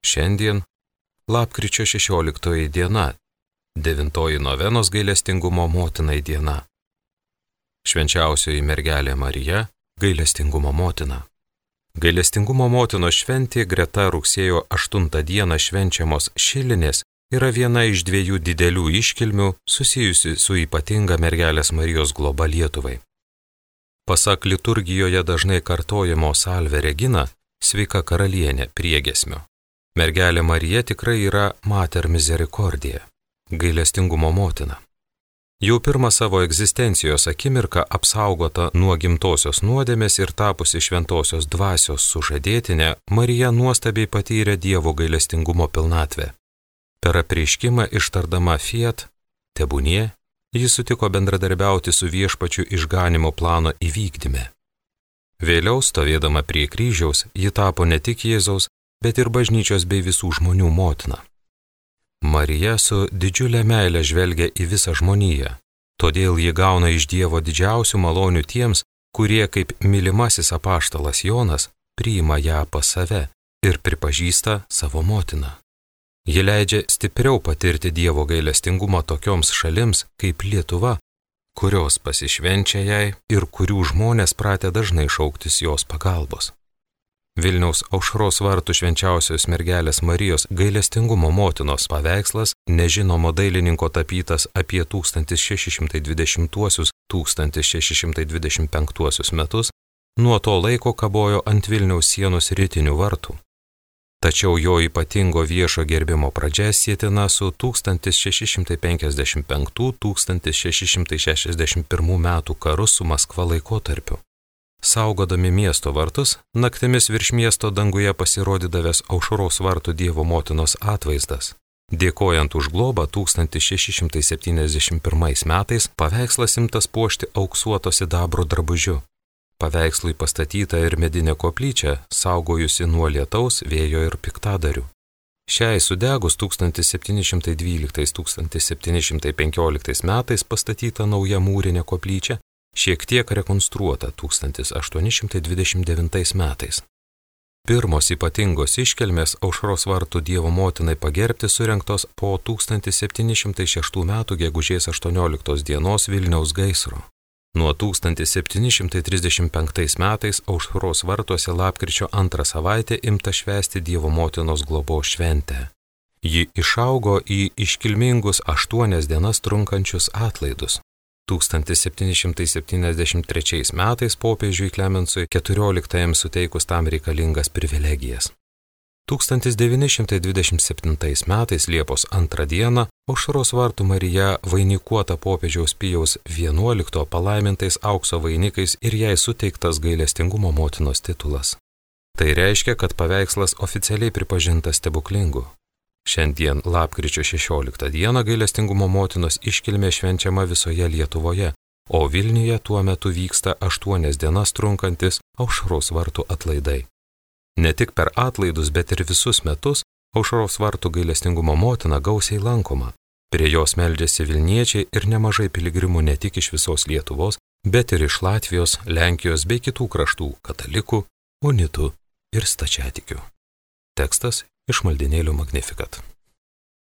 Šiandien lapkričio 16 diena, 9 novenos gailestingumo motinai diena. Švenčiausioji mergelė Marija, gailestingumo motina. Gailestingumo motinos šventė greta rugsėjo 8 dieną švenčiamos Šilinės yra viena iš 2 didelių iškilmių susijusi su ypatinga mergelės Marijos globa Lietuvai. Pasak liturgijoje dažnai kartojamo Salve Regina, sveika karalienė priegiesmio. Mergelė Marija tikrai yra Mater Misericordiae, gailestingumo motina. Jau pirmą savo egzistencijos akimirką apsaugota nuo gimtosios nuodėmės ir tapusi šventosios dvasios sužadėtinė, Marija nuostabiai patyrė Dievo gailestingumo pilnatvę. Per apreiškimą ištardama Fiat, tebūnie, ji sutiko bendradarbiauti su Viešpačiu išganimo plano įvykdyme. Vėliau, stovėdama prie kryžiaus, ji tapo ne tik Jėzaus, bet ir bažnyčios bei visų žmonių motina. Marija su didžiulė meile žvelgia į visą žmoniją, todėl ji gauna iš Dievo didžiausių malonių tiems, kurie kaip mylimasis apaštalas Jonas priima ją pas save ir pripažįsta savo motiną. Ji leidžia stipriau patirti Dievo gailestingumą tokioms šalims kaip Lietuva, kurios pasišvenčia jai ir kurių žmonės pratę dažnai šauktis jos pagalbos. Vilniaus Aušros vartų švenčiausios mergelės Marijos gailestingumo motinos paveikslas, nežinomo dailininko tapytas apie 1620–1625 metus, nuo to laiko kabojo ant Vilniaus sienos rytinių vartų. Tačiau jo ypatingo viešo gerbimo pradžia sietina su 1655–1661 metų karu su Maskva laikotarpiu. Saugodami miesto vartus, naktimis virš miesto danguje pasirodydavęs Aušros vartų Dievo motinos atvaizdas. Dėkojant už globą 1671 metais paveikslas imtas puošti auksuoto sidabro drabužiu. Paveikslui pastatyta ir medinė koplyčia, saugojusi nuo lietaus, vėjo ir piktadarių. Šiai sudegus 1712–1715 metais pastatyta nauja mūrinė koplyčia, šiek tiek rekonstruota 1829 metais. Pirmos ypatingos iškilmės Aušros vartų Dievo motinai pagerbti surengtos po 1706 metų gegužės 18 dienos Vilniaus gaisro. Nuo 1735 metais Aušros vartuose lapkričio 2 savaitę imta švęsti Dievo motinos globos šventę. Ji išaugo į iškilmingus 8 dienas trunkančius atlaidus. 1773 metais popiežiui Klemensui XIV suteikus tam reikalingas privilegijas. 1927 metais Liepos 2 dieną Aušros vartų Marija vainikuota popiežiaus Pijaus XI palaimintais aukso vainikais ir jai suteiktas gailestingumo motinos titulas. Tai reiškia, kad paveikslas oficialiai pripažintas stebuklingu. Šiandien lapkričio 16 dieną gailestingumo motinos iškilmė švenčiama visoje Lietuvoje, o Vilniuje tuo metu vyksta 8 dienas trunkantis Aušros vartų atlaidai. Ne tik per atlaidus, bet ir visus metus Aušros vartų gailestingumo motina gausiai lankoma. Prie jos meldžiasi Vilniečiai ir nemažai piligrimų ne tik iš visos Lietuvos, bet ir iš Latvijos, Lenkijos bei kitų kraštų katalikų, unitų ir stačiatikių. Tekstas iš maldynėlių Magnificat.